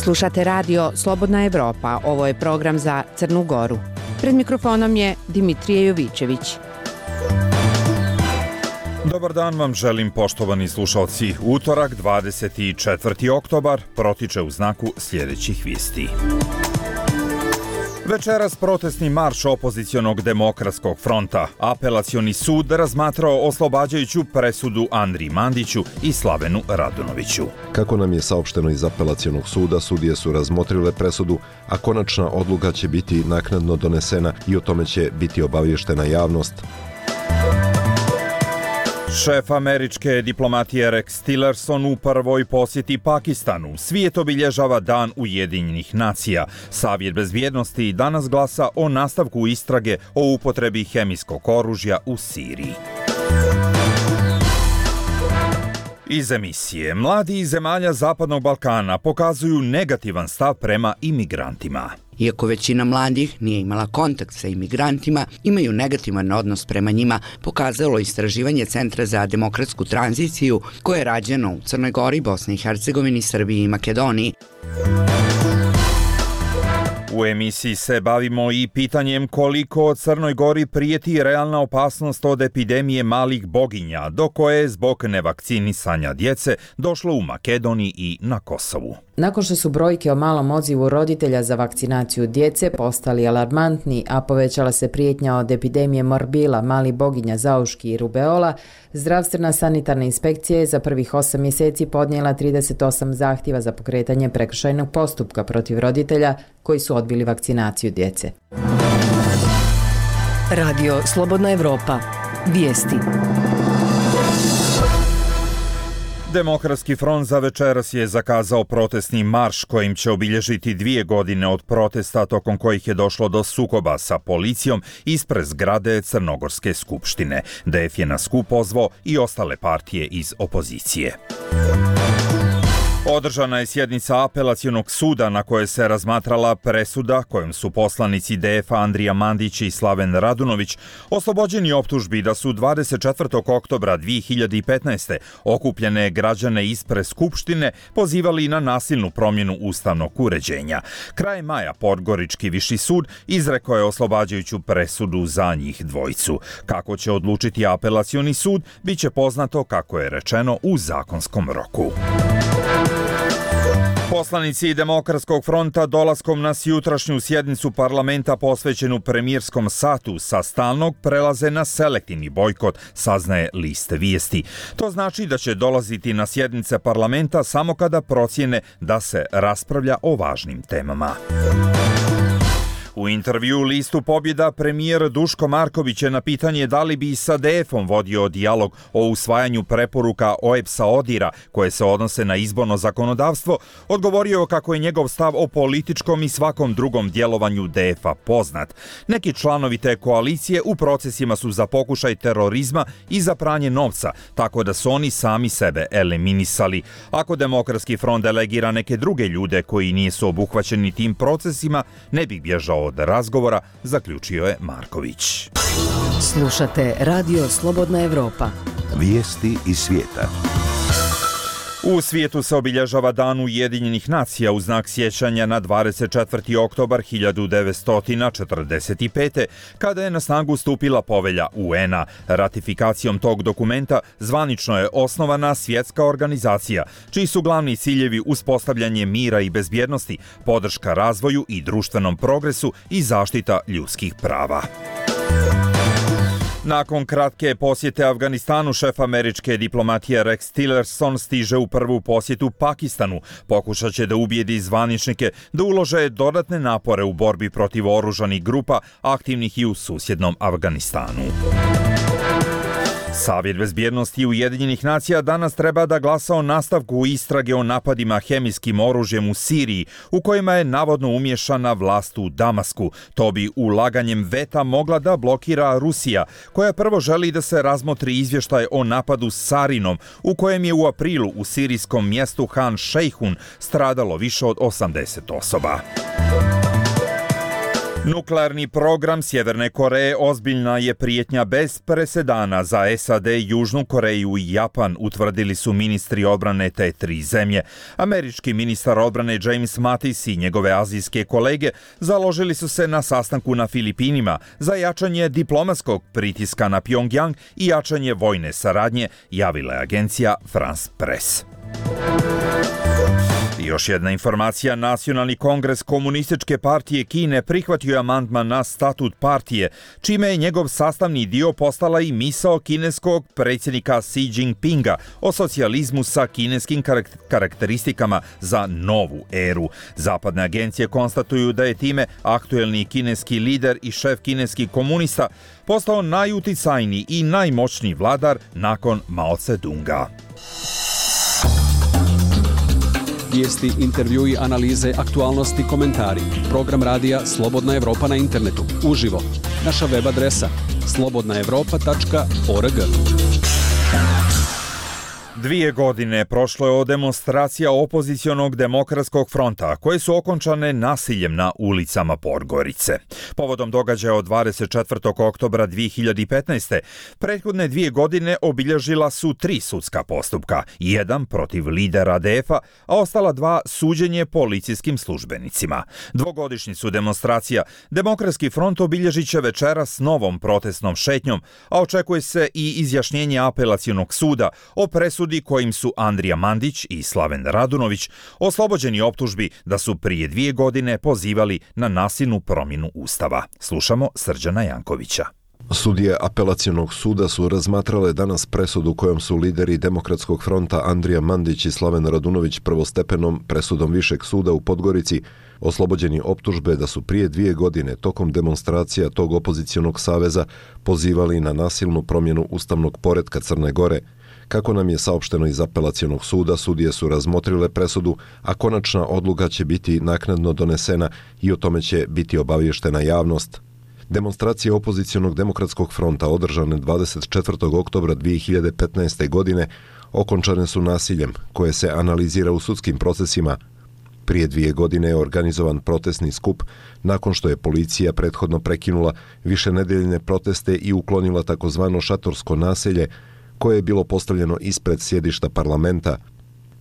Slušate radio Slobodna Evropa. Ovo je program za Crnu Goru. Pred mikrofonom je Dimitrije Jovićević. Dobar dan vam želim, poštovani slušalci. Utorak, 24. oktobar, protiče u znaku sljedećih vijesti. Večeras protestni marš opozicionog demokratskog fronta. Apelacioni sud razmatrao oslobađajuću presudu Andriji Mandiću i Slavenu Radunoviću. Kako nam je saopšteno iz apelacionog suda, sudije su razmotrile presudu, a konačna odluka će biti naknadno donesena i o tome će biti obaviještena javnost. Šef američke diplomatije Rex Tillerson u prvoj posjeti Pakistanu. Svijet obilježava Dan Ujedinjenih nacija. Savjet bezbjednosti danas glasa o nastavku istrage o upotrebi hemijskog oružja u Siriji. Iz emisije. Mladi iz zemalja Zapadnog Balkana pokazuju negativan stav prema imigrantima. Iako većina mladih nije imala kontakt sa imigrantima, imaju negativan odnos prema njima, pokazalo istraživanje Centra za demokratsku tranziciju koje je rađeno u Crnoj Gori, Bosni i Hercegovini, Srbiji i Makedoniji. U emisiji se bavimo i pitanjem koliko Crnoj Gori prijeti realna opasnost od epidemije malih boginja, do koje je zbog nevakcinisanja djece došlo u Makedoniji i na Kosovu. Nakon što su brojke o malom odzivu roditelja za vakcinaciju djece postali alarmantni, a povećala se prijetnja od epidemije morbila, malih boginja, zauški i rubeola, zdravstvena sanitarna inspekcija je za prvih 8 mjeseci podnijela 38 zahtjeva za pokretanje prekršajnog postupka protiv roditelja koji su odbili vakcinaciju djece. Radio Slobodna Evropa. Vijesti. Demokratski front za večeras je zakazao protestni marš kojim će obilježiti 2 godine od protesta tokom kojih je došlo do sukoba sa policijom ispred zgrade Crnogorske skupštine. DF je na skup pozvao i ostale partije iz opozicije. Održana je sjednica apelacionog suda na kojoj se razmatrala presuda kojom su poslanici DF-a Andrija Mandić i Slaven Radunović oslobođeni optužbi da su 24. oktobra 2015. okupljene građane ispred Skupštine pozivali na nasilnu promjenu ustavnog uređenja. Krajem maja Podgorički viši sud izrekao je oslobađajuću presudu za njih dvojicu. Kako će odlučiti apelacioni sud, bit će poznato, kako je rečeno, u zakonskom roku. Poslanici Demokratskog fronta dolaskom na jutrašnju sjednicu parlamenta posvećenu premijerskom satu sa stalnog prelaze na selektivni bojkot, saznaje list vijesti. To znači da će dolaziti na sjednice parlamenta samo kada procijene da se raspravlja o važnim temama. U intervju listu Pobjeda premijer Duško Marković je na pitanje da li bi sa DF-om vodio dijalog o usvajanju preporuka OEBS-a ODIR-a koje se odnose na izborno zakonodavstvo, odgovorio kako je njegov stav o političkom i svakom drugom djelovanju DF-a poznat. Neki članovi te koalicije u procesima su za pokušaj terorizma i za pranje novca, tako da su oni sami sebe eliminisali. Ako Demokratski front delegira neke druge ljude koji nisu obuhvaćeni tim procesima, ne bi bježao od razgovora, zaključio je Marković. Slušate Radio Slobodna Evropa. Vijesti iz svijeta. U svijetu se obilježava Dan Ujedinjenih nacija u znak sjećanja na 24. oktobar 1945. kada je na snagu stupila povelja UN-a. Ratifikacijom tog dokumenta zvanično je osnovana svjetska organizacija, čiji su glavni ciljevi uspostavljanje mira i bezbjednosti, podrška razvoju i društvenom progresu i zaštita ljudskih prava. Nakon kratke posjete Afganistanu, šef američke diplomatije Rex Tillerson stiže u prvu posjetu Pakistanu. Pokušat će da ubijedi zvaničnike da ulože dodatne napore u borbi protiv oružanih grupa aktivnih i u susjednom Afganistanu. Savjet bezbjednosti Ujedinjenih nacija danas treba da glasa o nastavku istrage o napadima hemijskim oružjem u Siriji, u kojima je navodno umješana vlast u Damasku. To bi ulaganjem veta mogla da blokira Rusija, koja prvo želi da se razmotri izvještaj o napadu sarinom, u kojem je u aprilu u sirijskom mjestu Han Šejhun stradalo više od 80 osoba. Nuklearni program Sjeverne Koreje ozbiljna je prijetnja bez presedana za SAD, Južnu Koreju i Japan, utvrdili su ministri odbrane te tri zemlje. Američki ministar odbrane James Mattis i njegove azijske kolege založili su se na sastanku na Filipinima za jačanje diplomatskog pritiska na Pjongjang i jačanje vojne saradnje, javila je agencija France Press. Još jedna informacija, Nacionalni kongres Komunističke partije Kine prihvatio je amandman na statut partije, čime je njegov sastavni dio postala i misao kineskog predsjednika Xi Jinpinga o socijalizmu sa kineskim karakteristikama za novu eru. Zapadne agencije konstatuju da je time aktuelni kineski lider i šef kineskih komunista postao najuticajniji i najmoćniji vladar nakon Mao Tse-dunga. Vijesti, intervjui, analize, aktualnosti, komentari. Program radija Slobodna Evropa na internetu. Uživo. Naša web adresa slobodnaevropa.org. 2 godine prošlo je od demonstracija opozicionog demokratskog fronta, koje su okončane nasiljem na ulicama Podgorice. Povodom događaja od 24. oktobra 2015. prethodne 2 godine obilježila su 3 sudska postupka, jedan protiv lidera ADF-a, a ostala 2 suđenje policijskim službenicima. Dvogodišnjicu demonstracija Demokratski front obilježit će večeras novom protestnom šetnjom, a očekuje se i izjašnjenje apelacionog suda o presudi kojim su Andrija Mandić i Slaven Radunović oslobođeni optužbi da su prije 2 godine pozivali na nasilnu promjenu Ustava. Slušamo Srđana Jankovića. Sudije apelacionog suda su razmatrale danas presudu kojom su lideri Demokratskog fronta Andrija Mandić i Slaven Radunović prvostepenom presudom Višeg suda u Podgorici oslobođeni optužbe da su prije 2 godine tokom demonstracija tog opozicionog saveza pozivali na nasilnu promjenu ustavnog poretka Crne Gore. Kako nam je saopšteno iz apelacionog suda, sudije su razmotrile presudu, a konačna odluka će biti naknadno donesena i o tome će biti obavještena javnost. Demonstracije opozicionog demokratskog fronta održane 24. oktobra 2015. godine okončane su nasiljem koje se analizira u sudskim procesima. Prije 2 godine je organizovan protestni skup nakon što je policija prethodno prekinula višenedeljne proteste i uklonila takozvano šatorsko naselje koje je bilo postavljeno ispred sjedišta parlamenta.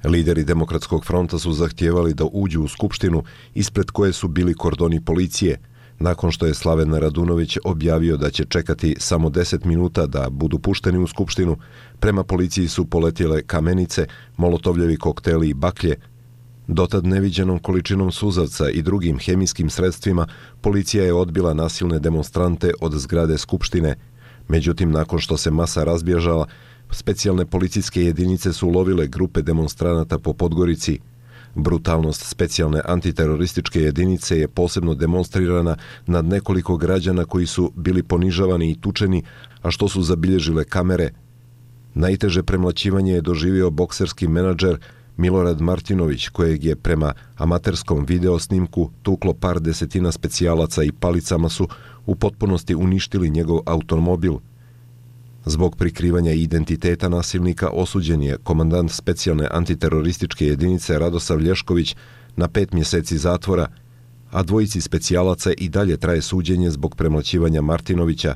Lideri Demokratskog fronta su zahtijevali da uđu u skupštinu ispred koje su bili kordoni policije. Nakon što je Slaven Radunović objavio da će čekati samo 10 minuta da budu pušteni u skupštinu, prema policiji su poletjele kamenice, molotovljevi kokteli i baklje. Dotad neviđenom količinom suzavca i drugim hemijskim sredstvima policija je odbila nasilne demonstrante od zgrade skupštine. Međutim, nakon što se masa razbježala, specijalne policijske jedinice su ulovile grupe demonstranata po Podgorici. Brutalnost specijalne antiterorističke jedinice je posebno demonstrirana nad nekoliko građana koji su bili ponižavani i tučeni, a što su zabilježile kamere. Najteže premlaćivanje je doživio bokserski menadžer Milorad Martinović, kojeg je prema amaterskom videosnimku tuklo par desetina specijalaca i palicama su u potpunosti uništili njegov automobil. Zbog prikrivanja identiteta nasilnika osuđen je komandant specijalne antiterorističke jedinice Radosav Lješković na 5 mjeseci zatvora, a 2 specijalaca i dalje traje suđenje zbog premlaćivanja Martinovića.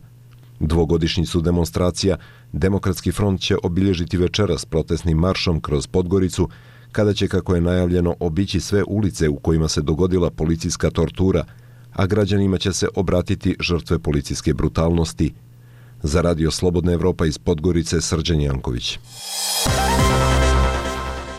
Dvogodišnjicu demonstracija Demokratski front će obilježiti večeras protestnim maršom kroz Podgoricu, kada će, kako je najavljeno, obići sve ulice u kojima se dogodila policijska tortura, a građanima će se obratiti žrtve policijske brutalnosti. Za Radio Slobodna Evropa iz Podgorice, Srđan Janković.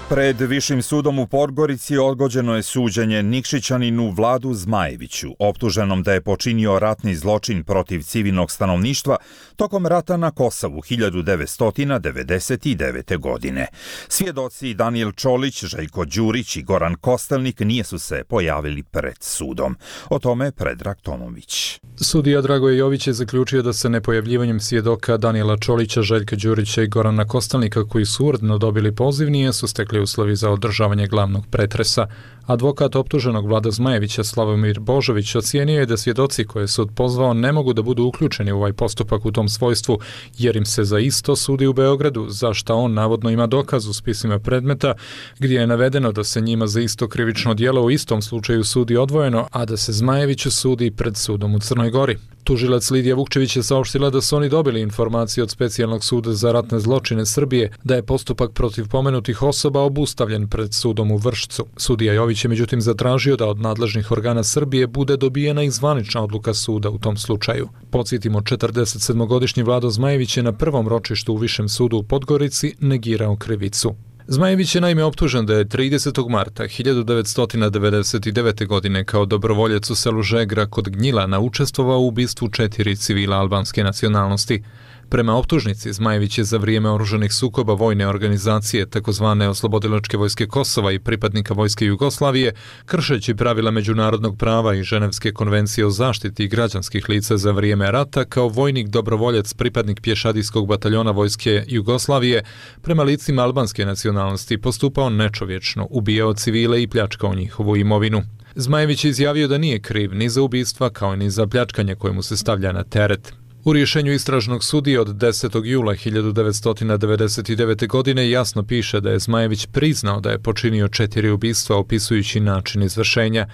Pred Višim sudom u Podgorici odgođeno je suđenje Nikšićaninu Vladu Zmajeviću, optuženom da je počinio ratni zločin protiv civilnog stanovništva tokom rata na Kosovu 1999. godine. Svjedoci Danijel Čolić, Željko Đurić i Goran Kostelnik nisu se pojavili pred sudom. O tome Predrag Tomović. Sudija Dragoje Jović je zaključio da se nepojavljivanjem svjedoka Danijela Čolića, Željka Đurića i Gorana Kostelnika, koji su uredno dobili poziv, nije su stekli uslovi za održavanje glavnog pretresa. Advokat optuženog Vlada Zmajevića Slavomir Božović ocijenio je da svjedoci koje sud pozvao ne mogu da budu uključeni u ovaj postupak u tom svojstvu, jer im se za isto sudi u Beogradu, za šta on navodno ima dokaz u spisima predmeta, gdje je navedeno da se njima za isto krivično djelo u istom slučaju sudi odvojeno, a da se Zmajeviću sudi pred sudom u Crnoj Gori. Tužilac Lidija Vukčević je saopštila da su oni dobili informaciju od Specijalnog suda za ratne zločine Srbije da je postupak protiv pomenutih osoba obustavljen pred sudom u Vršcu. Sudija Jović je međutim zatražio da od nadležnih organa Srbije bude dobijena i zvanična odluka suda u tom slučaju. Podsjetimo, 47-godišnji Vlado Zmajević je na prvom ročištu u Višem sudu u Podgorici negirao krivicu. Zmajević je naime optužen da je 30. marta 1999. godine kao dobrovoljac u selu Žegra kod Gnjilana učestvovao u ubistvu 4 civila albanske nacionalnosti. Prema optužnici, Zmajević je za vrijeme oružanih sukoba vojne organizacije takozvane Oslobodilačke vojske Kosova i pripadnika vojske Jugoslavije, kršeći pravila međunarodnog prava i Ženevske konvencije o zaštiti građanskih lica za vrijeme rata, kao vojnik dobrovoljac pripadnik pješadijskog bataljona vojske Jugoslavije, prema licima albanske nacionalnosti postupao nečovječno, ubijao civile i pljačkao njihovu imovinu. Zmajević je izjavio da nije kriv ni za ubistva kao ni za pljačkanje koje mu se stavlja na teret. U rješenju istražnog sudije od 10. jula 1999. godine jasno piše da je Zmajević priznao da je počinio 4 ubistva opisujući način izvršenja.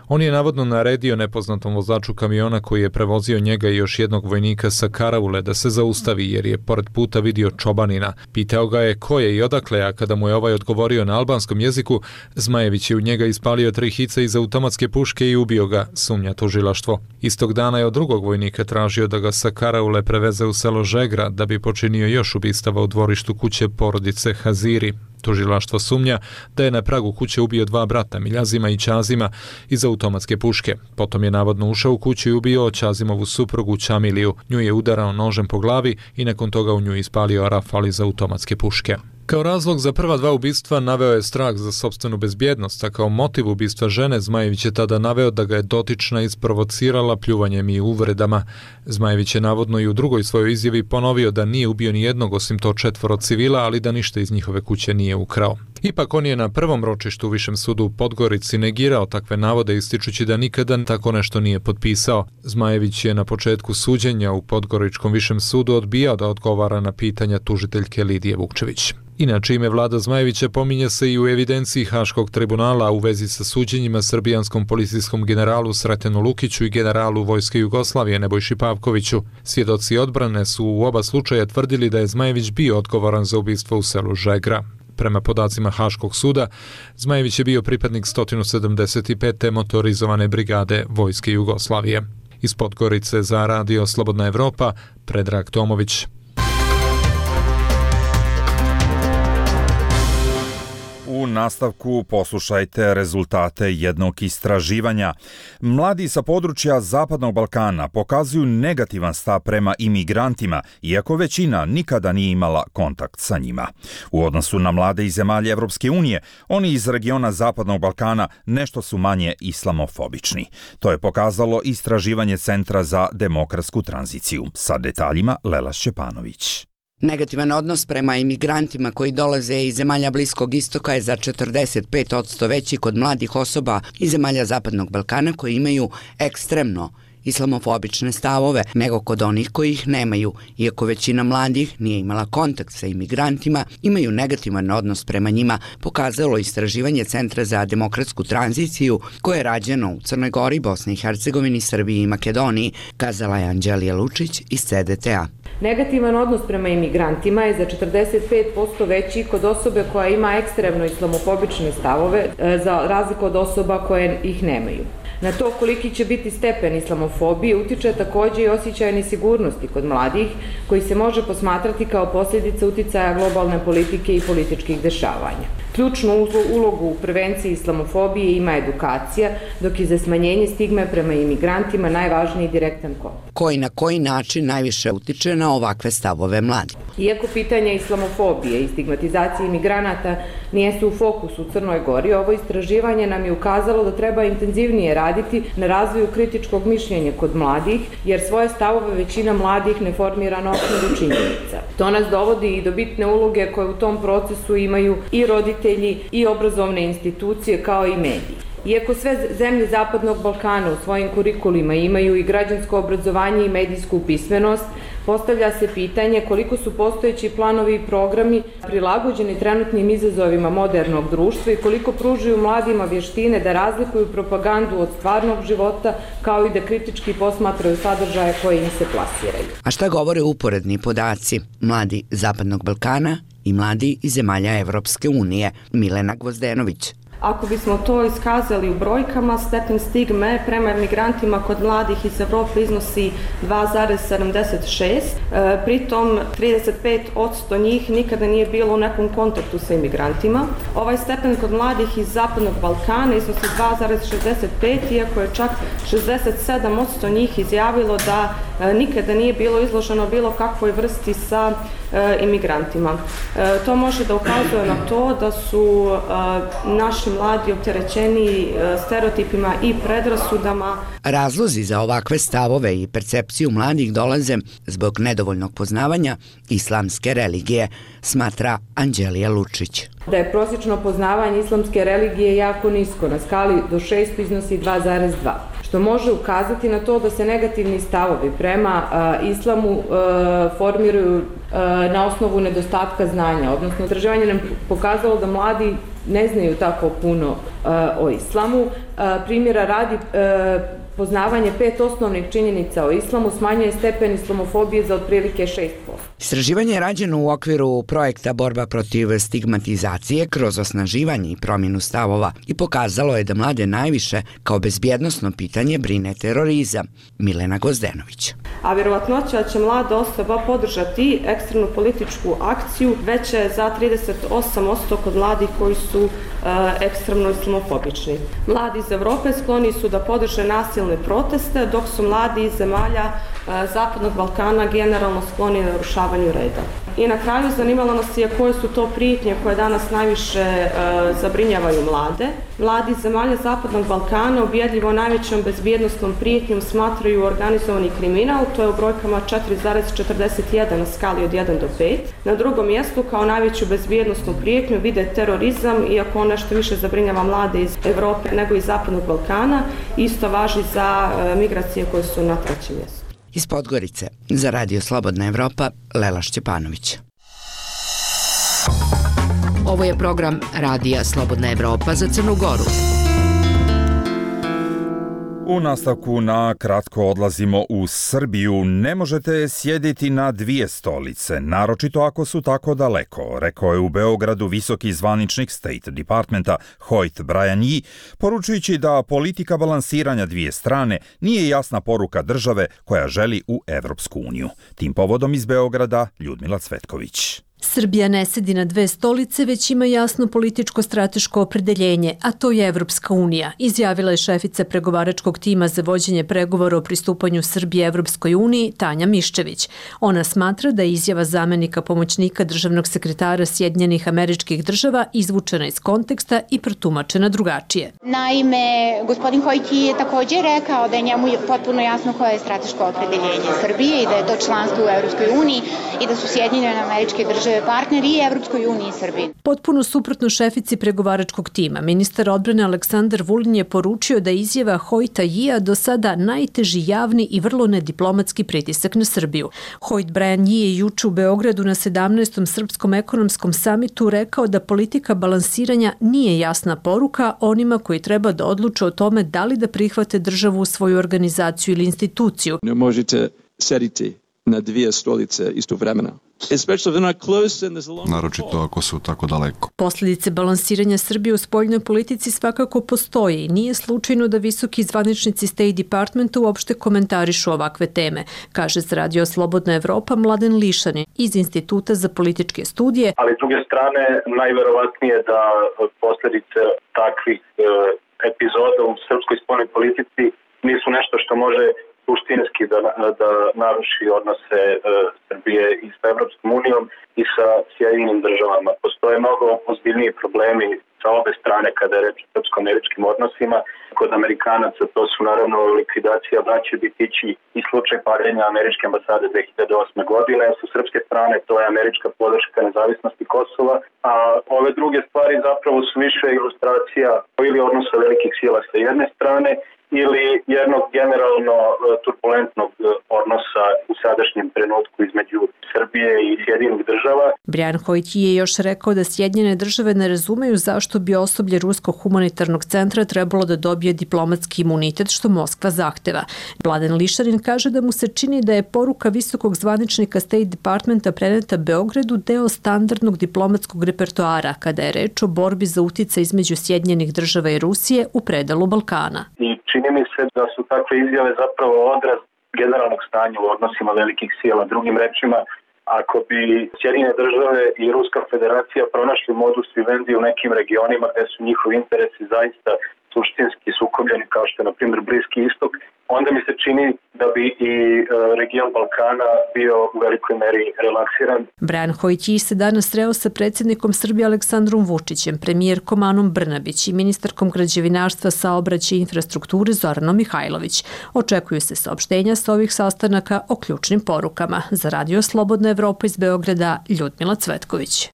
On je navodno naredio nepoznatom vozaču kamiona koji je prevozio njega i još jednog vojnika sa karaule da se zaustavi jer je pored puta vidio čobanina. Pitao ga je ko je i odakle, a kada mu je ovaj odgovorio na albanskom jeziku, Zmajević je u njega ispalio 3 hice iz automatske puške i ubio ga, sumnja tužilaštvo. Istog dana je od drugog vojnika tražio da ga sa karaule preveze u selo Žegra da bi počinio još ubistava u dvorištu kuće porodice Haziri. Tužilaštvo sumnja da je na pragu kuće ubio 2 brata, Miljazima i Ćazima, iz automatske puške. Potom je navodno ušao u kuću i ubio Ćazimovu suprugu Ćamiliju. Nju je udarao nožem po glavi i nakon toga u nju ispalio rafal iz automatske puške. Kao razlog za prva 2 ubistva naveo je strah za sopstvenu bezbjednost, a kao motiv ubistva žene Zmajević je tada naveo da ga je dotična isprovocirala pljuvanjem i uvredama. Zmajević je navodno i u drugoj svojoj izjavi ponovio da nije ubio ni jednog osim to 4 civila, ali da ništa iz njihove kuće nije ukrao. Ipak on je na prvom ročištu u Višem sudu u Podgorici negirao takve navode ističući da nikada tako nešto nije potpisao. Zmajević je na početku suđenja u Podgoričkom Višem sudu odbijao da odgovara na pitanja tužiteljke Lidije Vukčević. Inače, ime Vlada Zmajevića pominje se i u evidenciji Haškog tribunala u vezi sa suđenjima srbijanskom policijskom generalu Sretenu Lukiću i generalu Vojske Jugoslavije Nebojši Pavkoviću. Svjedoci odbrane su u oba slučaja tvrdili da je Zmajević bio odgovoran za ubistvo u selu Žegra. Prema podacima Haškog suda, Zmajević je bio pripadnik 175. motorizovane brigade Vojske Jugoslavije. Iz Podgorice za Radio Slobodna Evropa, Predrag Tomović. U nastavku poslušajte rezultate jednog istraživanja. Mladi sa područja Zapadnog Balkana pokazuju negativan stav prema imigrantima, iako većina nikada nije imala kontakt sa njima. U odnosu na mlade iz zemalja Evropske unije, oni iz regiona Zapadnog Balkana nešto su manje islamofobični. To je pokazalo istraživanje Centra za demokratsku tranziciju. Sa detaljima Lela Šćepanović. Negativan odnos prema imigrantima koji dolaze iz zemalja Bliskog istoka je za 45% veći kod mladih osoba iz zemalja Zapadnog Balkana koji imaju ekstremno islamofobične stavove nego kod onih koji ih nemaju. Iako većina mladih nije imala kontakt sa imigrantima, imaju negativan odnos prema njima, pokazalo istraživanje Centra za demokratsku tranziciju koje je rađeno u Crnoj Gori, Bosni i Hercegovini, Srbiji i Makedoniji, kazala je Anđelija Lučić iz CDTA. Negativan odnos prema imigrantima je za 45% veći kod osobe koja ima ekstremno islamofobične stavove, za razliku od osoba koje ih nemaju. Na to koliki će biti stepen islamofobije utiče također i osjećaj nesigurnosti kod mladih, koji se može posmatrati kao posljedica uticaja globalne politike i političkih dešavanja. Ključnu ulogu u prevenciji islamofobije ima edukacija, dok je za smanjenje stigme prema imigrantima najvažniji direktan kontakt. koji na koji način najviše utiče na ovakve stavove mladih. Iako pitanje islamofobije i stigmatizacije imigranata nijesu u fokusu u Crnoj Gori, ovo istraživanje nam je ukazalo da treba intenzivnije raditi na razvoju kritičkog mišljenja kod mladih, jer svoje stavove većina mladih ne formira na osnovu činjenica. To nas dovodi i do bitne uloge koje u tom procesu imaju i roditelji i obrazovne institucije kao i mediji. Iako sve zemlje Zapadnog Balkana u svojim kurikulima imaju i građansko obrazovanje i medijsku pismenost, postavlja se pitanje koliko su postojeći planovi i programi prilagođeni trenutnim izazovima modernog društva i koliko pružaju mladima vještine da razlikuju propagandu od stvarnog života, kao i da kritički posmatraju sadržaje koje im se plasiraju. A šta govore uporedni podaci mladi Zapadnog Balkana i mladi iz zemalja Evropske unije? Milena Gvozdenović. Ako bismo to iskazali u brojkama, stepen stigme prema migrantima kod mladih iz Evrope iznosi 2,76. Pritom 35% njih nikada nije bilo u nekom kontaktu sa imigrantima. Ovaj stepen kod mladih iz Zapadnog Balkana iznosi 2,65, iako je čak 67% njih izjavilo da nikada nije bilo izloženo bilo kakvoj vrsti sa imigrantima. To može da ukazuje na to da su naši mladi opterećeni stereotipima i predrasudama. Razlozi za ovakve stavove i percepciju mladih dolaze zbog nedovoljnog poznavanja islamske religije, smatra Anđelija Lučić. Da je prosječno poznavanje islamske religije jako nisko, na skali do 6 iznosi 2,2, što može ukazati na to da se negativni stavovi prema islamu formiraju na osnovu nedostatka znanja, odnosno istraživanje nam pokazalo da mladi ne znaju tako puno o islamu. Primjera radi, poznavanje 5 osnovnih činjenica o islamu smanjuje stepen islamofobije za otprilike 6%. Istraživanje je rađeno u okviru projekta Borba protiv stigmatizacije kroz osnaživanje i promjenu stavova i pokazalo je da mlade najviše kao bezbjednosno pitanje brine terorizam. Milena Gvozdenović. A vjerovatnoća da će mlada osoba podržati ekstremnu političku akciju veća je za 38% kod mladih koji su ekstremno islamofobični. Mladi iz Evrope skloni su da podrže nasilne proteste, dok su mladi iz zemalja Zapadnog Balkana generalno skloni narušavanju reda. I na kraju zanimalo nas je koje su to prijetnje koje danas najviše zabrinjavaju mlade. Mladi iz zemalja Zapadnog Balkana ubjedljivo najvećom bezbjednostnom prijetnjom smatraju organizovani kriminal, to je u brojkama 4,41 na skali od 1 do 5. Na drugom mjestu kao najveću bezbjednostnu prijetnju vide terorizam, iako on nešto više zabrinjava mlade iz Europe nego iz Zapadnog Balkana. Isto važi za migracije koje su na trećem mjestu. Iz Podgorice, za Radio Slobodna Evropa, Lela Šćepanović. Ovo je program Radija Slobodna Evropa za Crnu Goru. U nastavku na kratko odlazimo u Srbiju. Ne možete sjediti na dvije stolice, naročito ako su tako daleko, rekao je u Beogradu visoki zvaničnik State Departmenta Hoyt Bryan, poručujući da politika balansiranja dvije strane nije jasna poruka države koja želi u Evropsku uniju. Tim povodom iz Beograda Ljudmila Cvetković. Srbija ne sedi na dve stolice, već ima jasno političko-strateško opredeljenje, a to je Evropska unija, izjavila je šefica pregovaračkog tima za vođenje pregovora o pristupanju Srbije Evropskoj uniji, Tanja Miščević. Ona smatra da je izjava zamenika pomoćnika državnog sekretara Sjedinjenih Američkih Država izvučena iz konteksta i protumačena drugačije. Naime, gospodin Hoyt je također rekao da je njemu potpuno jasno koje je strateško opredeljenje Srbije i da je to članstvo u Evropskoj uniji i da su Sjedinjene Američke Države partneri i Evropskoj uniji i Srbiji. Potpuno suprotno šefici pregovaračkog tima, ministar odbrane Aleksandar Vulin je poručio da izjava Hoyta Yia do sada najteži javni i vrlo nediplomatski pritisak na Srbiju. Hoyt Bryan je juče u Beogradu na 17. Srpskom ekonomskom samitu rekao da politika balansiranja nije jasna poruka onima koji treba da odluče o tome da li da prihvate državu u svoju organizaciju ili instituciju. Ne možete sediti na dvije stolice istovremeno. Naročito ako su tako daleko. Posljedice balansiranja Srbije u spoljnoj politici svakako postoje i nije slučajno da visoki zvaničnici State Departmenta uopšte komentarišu ovakve teme, kaže za Radio Slobodna Evropa Mladen Lišanin iz Instituta za političke studije. Ali s druge strane, najverovatnije da posljedice takvih epizoda u srpskoj spoljnoj politici nisu nešto što može suštinski da naruši odnose Srbije i sa Evropskom unijom i sa Sjedinjenim državama. Postoje mnogo ozbiljniji problemi sa obe strane kada je reč o srpsko-američkim odnosima. Kod Amerikanaca to su naravno likvidacija braće Bitići i slučaj paljenja američke ambasade 2008. godine. Sa srpske strane to je američka podrška nezavisnosti Kosova, a ove druge stvari zapravo su više ilustracija ili odnosa velikih sila sa jedne strane ili jednog generalno turbulentnog odnosa u sadašnjem trenutku između Srbije i Sjedinjenih država. Brian Hoyt je još rekao da Sjedinjene države ne razumeju zašto bi osoblje Ruskog humanitarnog centra trebalo da dobije diplomatski imunitet što Moskva zahteva. Mladen Lišarin kaže da mu se čini da je poruka visokog zvaničnika State Departmenta preneta Beogradu deo standardnog diplomatskog repertoara kada je reč o borbi za uticaj između Sjedinjenih država i Rusije u predalu Balkana. Čini mi se da su takve izjave zapravo odraz generalnog stanja u odnosima velikih sila. Drugim rečima, ako bi Sjedinjene države i Ruska federacija pronašli modus vivendi u nekim regionima gde su njihovi interesi zaista suštinski sukobljeni, kao što je na primjer Bliski istok, onda mi se čini da bi i region Balkana bio u velikoj meri relaksiran. Brian Hoyt se danas sreo sa predsjednikom Srbije Aleksandrom Vučićem, premijerkom Anom Brnabić i ministarkom građevinarstva, saobraćaja i infrastrukture Zoranom Mihajlović. Očekuju se saopštenja sa ovih sastanaka o ključnim porukama. Za Radio Slobodna Evropa iz Beograda, Ljudmila Cvetković.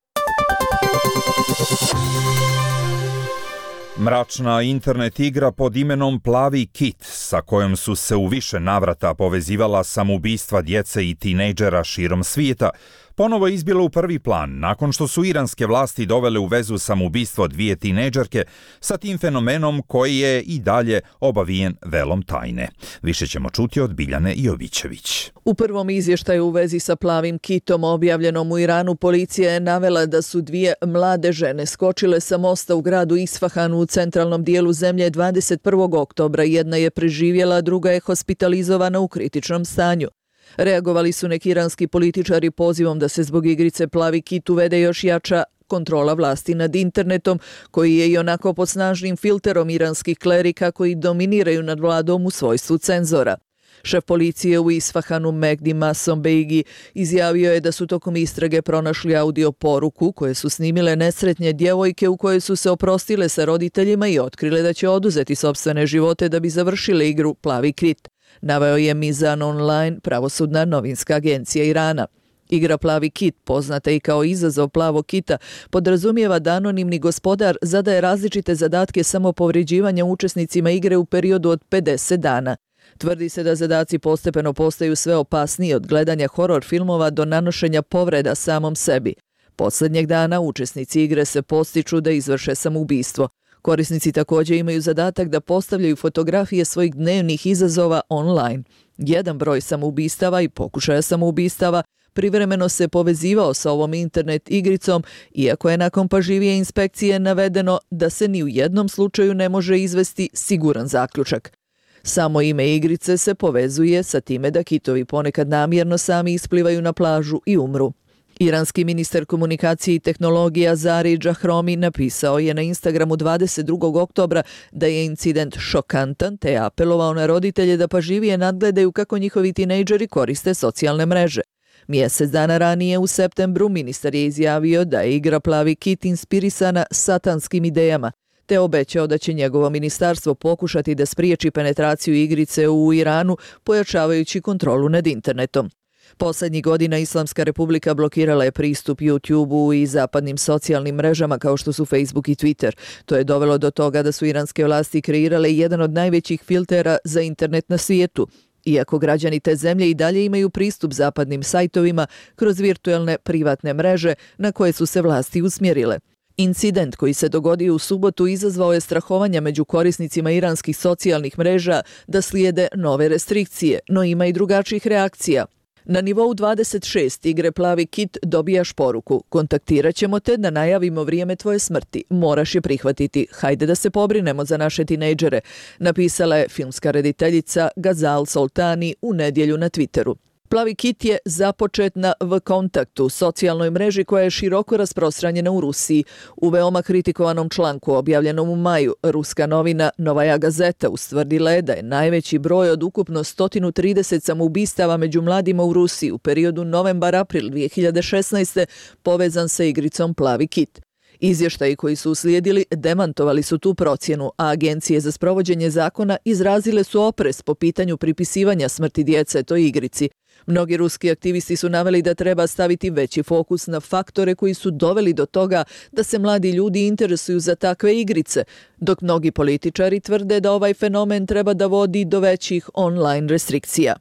Mračna internet igra pod imenom Plavi kit, sa kojom su se u više navrata povezivala samoubistva djece i tinejdžera širom svijeta, ponovo je izbila u prvi plan nakon što su iranske vlasti dovele u vezu samoubistvo dvije tinejdžerke sa tim fenomenom koji je i dalje obavijen velom tajne. Više ćemo čuti od Biljane Jovićević. U prvom izvještaju u vezi sa Plavim kitom objavljenom u Iranu, policija je navela da su dvije mlade žene skočile sa mosta u gradu Isfahanu u centralnom dijelu zemlje 21. oktobra. Jedna je preživjela, druga je hospitalizovana u kritičnom stanju. Reagovali su neki iranski političari pozivom da se zbog igrice Plavi kit uvede još jača kontrola vlasti nad internetom, koji je i onako pod snažnim filterom iranskih klerika koji dominiraju nad vladom u svojstvu cenzora. Šef policije u Isfahanu Mehdi Massombejgi izjavio je da su tokom istrage pronašli audio poruku koje su snimile nesretnje djevojke u koje su se oprostile sa roditeljima i otkrile da će oduzeti sopstvene živote da bi završile igru Plavi kit. Naveo je Mizan Online, pravosudna novinska agencija Irana. Igra Plavi kit, poznata i kao izazov Plavog kita, podrazumijeva da anonimni gospodar zadaje različite zadatke samopovređivanja učesnicima igre u periodu od 50 dana. Tvrdi se da zadaci postepeno postaju sve opasniji od gledanja horor filmova do nanošenja povreda samom sebi. Posljednjeg dana učesnici igre se podstiču da izvrše samoubistvo. Korisnici također imaju zadatak da postavljaju fotografije svojih dnevnih izazova online. Jedan broj samoubistava i pokušaja samoubistava privremeno se povezivao sa ovom internet igricom, iako je nakon pažljivije inspekcije navedeno da se ni u jednom slučaju ne može izvesti siguran zaključak. Samo ime igrice se povezuje sa time da kitovi ponekad namjerno sami isplivaju na plažu i umru. Iranski ministar komunikacije i tehnologija Zari Džahromi napisao je na Instagramu 22. oktobra da je incident šokantan te je apelovao na roditelje da pažljivije nadgledaju kako njihovi tinejdžeri koriste socijalne mreže. Mjesec dana ranije u septembru ministar je izjavio da je igra Plavi kit inspirisana satanskim idejama, te obećao da će njegovo ministarstvo pokušati da spriječi penetraciju igrice u Iranu, pojačavajući kontrolu nad internetom. Poslednjih godina Islamska republika blokirala je pristup YouTube-u i zapadnim socijalnim mrežama kao što su Facebook i Twitter. To je dovelo do toga da su iranske vlasti kreirale jedan od najvećih filtera za internet na svijetu. Iako građani te zemlje i dalje imaju pristup zapadnim sajtovima kroz virtualne privatne mreže na koje su se vlasti usmjerile. Incident koji se dogodio u subotu izazvao je strahovanja među korisnicima iranskih socijalnih mreža da slijede nove restrikcije, no ima i drugačijih reakcija. Na nivou 26 igre Plavi kit dobijaš poruku: kontaktirat ćemo te da najavimo vrijeme tvoje smrti. Moraš je prihvatiti. Hajde da se pobrinemo za naše tinejdžere, napisala je filmska rediteljica Gazal Soltani u nedjelju na Twitteru. Plavi kit je započet na V-kontaktu, socijalnoj mreži koja je široko rasprostranjena u Rusiji. U veoma kritikovanom članku objavljenom u maju, ruska novina Novaja Gazeta ustvrdila je da je najveći broj od ukupno 130 samoubistava među mladima u Rusiji u periodu novembar-april 2016. povezan sa igricom Plavi kit. Izvještaji koji su uslijedili demantovali su tu procjenu, a agencije za sprovođenje zakona izrazile su oprez po pitanju pripisivanja smrti djece toj igrici. Mnogi ruski aktivisti su naveli da treba staviti veći fokus na faktore koji su doveli do toga da se mladi ljudi interesuju za takve igrice, dok mnogi političari tvrde da ovaj fenomen treba da vodi do većih online restrikcija.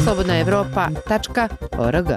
slobodnaevropa.org.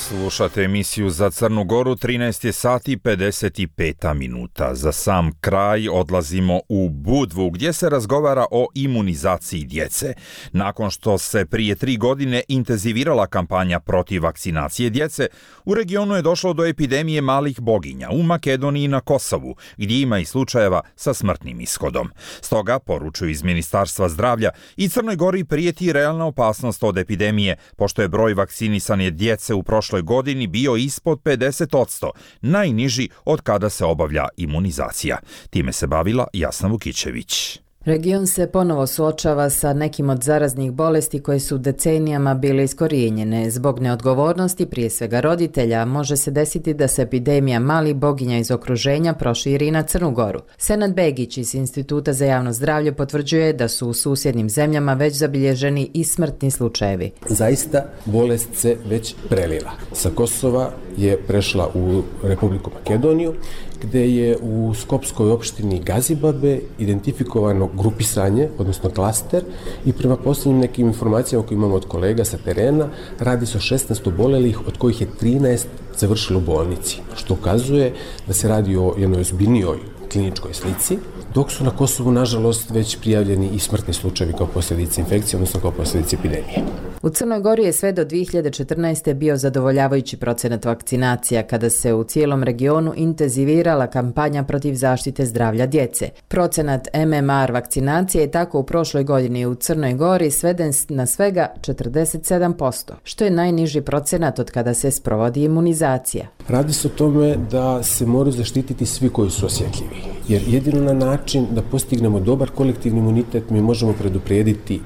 Slušate emisiju za Crnu Goru, 13 je sati 55 minuta. Za sam kraj odlazimo u Budvu gdje se razgovara o imunizaciji djece. Nakon što se prije 3 godine intenzivirala kampanja protiv vakcinacije djece, u regionu je došlo do epidemije malih boginja u Makedoniji i na Kosovu, gdje ima i slučajeva sa smrtnim ishodom. Stoga, poručuju iz Ministarstva zdravlja, i Crnoj Gori prijeti realna opasnost od epidemije, pošto je broj vakcinisane djece u prošloj godini bio ispod 50%, najniži od kada se obavlja imunizacija. Time se bavila Jasna Vukićević. Region se ponovo suočava sa nekim od zaraznih bolesti koje su decenijama bile iskorijenjene. Zbog neodgovornosti, prije svega roditelja, može se desiti da se epidemija malih boginja iz okruženja proširi na Crnu Goru. Senad Begić iz Instituta za javno zdravlje potvrđuje da su u susjednim zemljama već zabilježeni i smrtni slučajevi. Zaista bolest se već prelila. Sa Kosova je prešla u Republiku Makedoniju, gde je u skopskoj opštini Gazibabe identifikovano grupisanje, odnosno klaster, i prema posljednjim nekim informacijama koje imamo od kolega sa terena, radi se o 16 obolelih, od kojih je 13 završilo u bolnici, što ukazuje da se radi o jednoj ozbiljnijoj kliničkoj slici, dok su na Kosovu, nažalost, već prijavljeni i smrtni slučajevi kao posljedice infekcije, odnosno kao posljedice epidemije. U Crnoj Gori je sve do 2014. bio zadovoljavajući procenat vakcinacija, kada se u cijelom regionu intenzivirala kampanja protiv zaštite zdravlja djece. Procenat MMR vakcinacije je tako u prošloj godini u Crnoj Gori sveden na svega 47%, što je najniži procenat od kada se sprovodi imunizacija. Radi se o tome da se moraju zaštititi svi koji su osjetljivi, jer jedino na način da postignemo dobar kolektivni imunitet mi možemo preduprijediti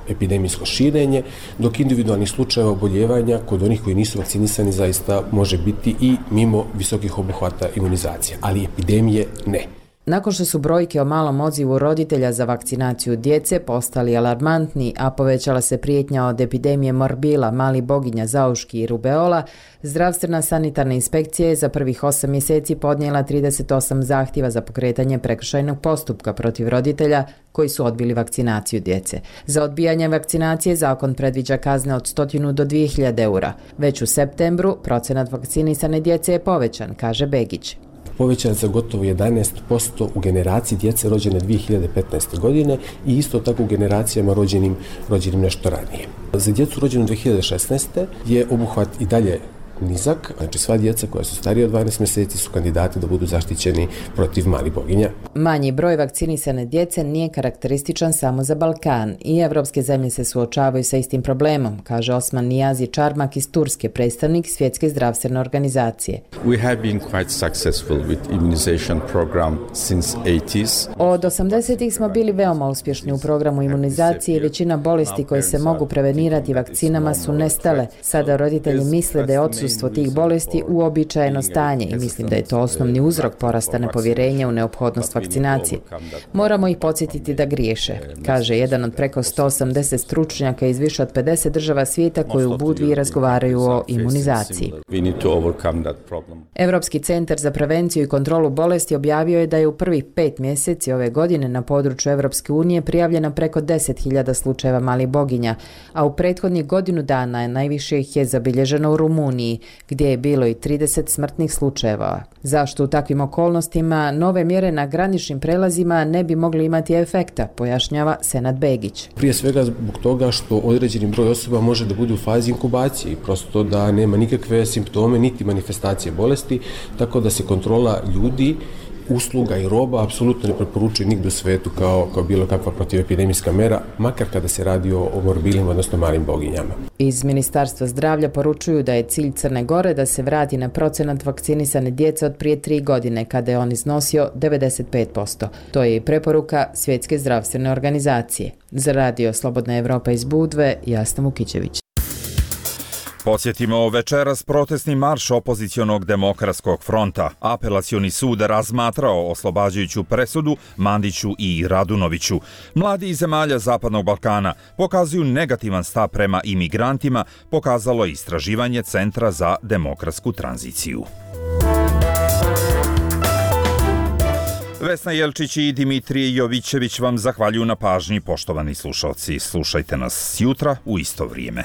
epidemijsko širenje, dok individualnih slučajeva oboljevanja kod onih koji nisu vakcinisani zaista može biti i mimo visokih obuhvata imunizacije, ali epidemije ne. Nakon što su brojke o malom odzivu roditelja za vakcinaciju djece postali alarmantni, a povećala se prijetnja od epidemije morbila, malih boginja, zauški i rubeola, zdravstvena sanitarna inspekcija je za prvih 8 mjeseci podnijela 38 zahtjeva za pokretanje prekršajnog postupka protiv roditelja koji su odbili vakcinaciju djece. Za odbijanje vakcinacije zakon predviđa kazne od 100 do 2000 eura. Već u septembru procenat vakcinisane djece je povećan, kaže Begić. Povećan za gotovo 11% u generaciji djece rođene 2015. godine i isto tako u generacijama rođenim nešto ranije. Za djecu rođenu 2016. je obuhvat i dalje nizak, znači sva djeca koja su starije od 12 mjeseci su kandidati da budu zaštićeni protiv malih boginja. Manji broj vakcinisane djece nije karakterističan samo za Balkan i evropske zemlje se suočavaju sa istim problemom, kaže Osman Niyazi Čarmak iz Turske, predstavnik Svjetske zdravstvene organizacije. We have been quite successful with immunization program since 80s. Od 80-ih smo bili veoma uspješni u programu imunizacije i većina bolesti koje se mogu prevenirati vakcinama su nestale. Sada roditelji misle da je odsustvo tih bolesti uobičajeno stanje i mislim da je to osnovni uzrok porasta nepovjerenja u neophodnost vakcinacije. Moramo ih podsjetiti da griješe, kaže jedan od preko 180 stručnjaka iz više od 50 država svijeta koji u Budvi razgovaraju o imunizaciji. Europski centar za prevenciju i kontrolu bolesti objavio je da je u prvih 5 mjeseci ove godine na području Europske unije prijavljeno preko 10.000 slučajeva malih boginja, a u prethodnih godinu dana najviše ih je zabilježeno u Rumuniji, gdje je bilo i 30 smrtnih slučajeva. Zašto u takvim okolnostima nove mjere na graničnim prelazima ne bi mogli imati efekta, pojašnjava Senad Begić. Prije svega zbog toga što određeni broj osoba može da bude u fazi inkubacije i prosto da nema nikakve simptome niti manifestacije bolesti, tako da se kontrola ljudi usluga i roba apsolutno ne preporučuje nigde u svetu kao bilo kakva protivepidemijska mera, makar kada se radi o morbilima, odnosno malim boginjama. Iz Ministarstva zdravlja poručuju da je cilj Crne Gore da se vrati na procenat vakcinisane djece od prije 3 godine, kada je on iznosio 95%. To je i preporuka Svjetske zdravstvene organizacije. Za Radio Slobodna Evropa iz Budve, Jasna Vukićević. Podsjetimo, večeras protestni marš opozicionog demokratskog fronta. Apelacioni sud razmatrao oslobađajuću presudu Mandiću i Radunoviću. Mladi iz zemalja Zapadnog Balkana pokazuju negativan stav prema imigrantima, pokazalo je istraživanje Centra za demokratsku tranziciju. Vesna Jelčić i Dimitrije Jovićević vam zahvaljuju na pažnji, poštovani slušalci. Slušajte nas jutra u isto vrijeme.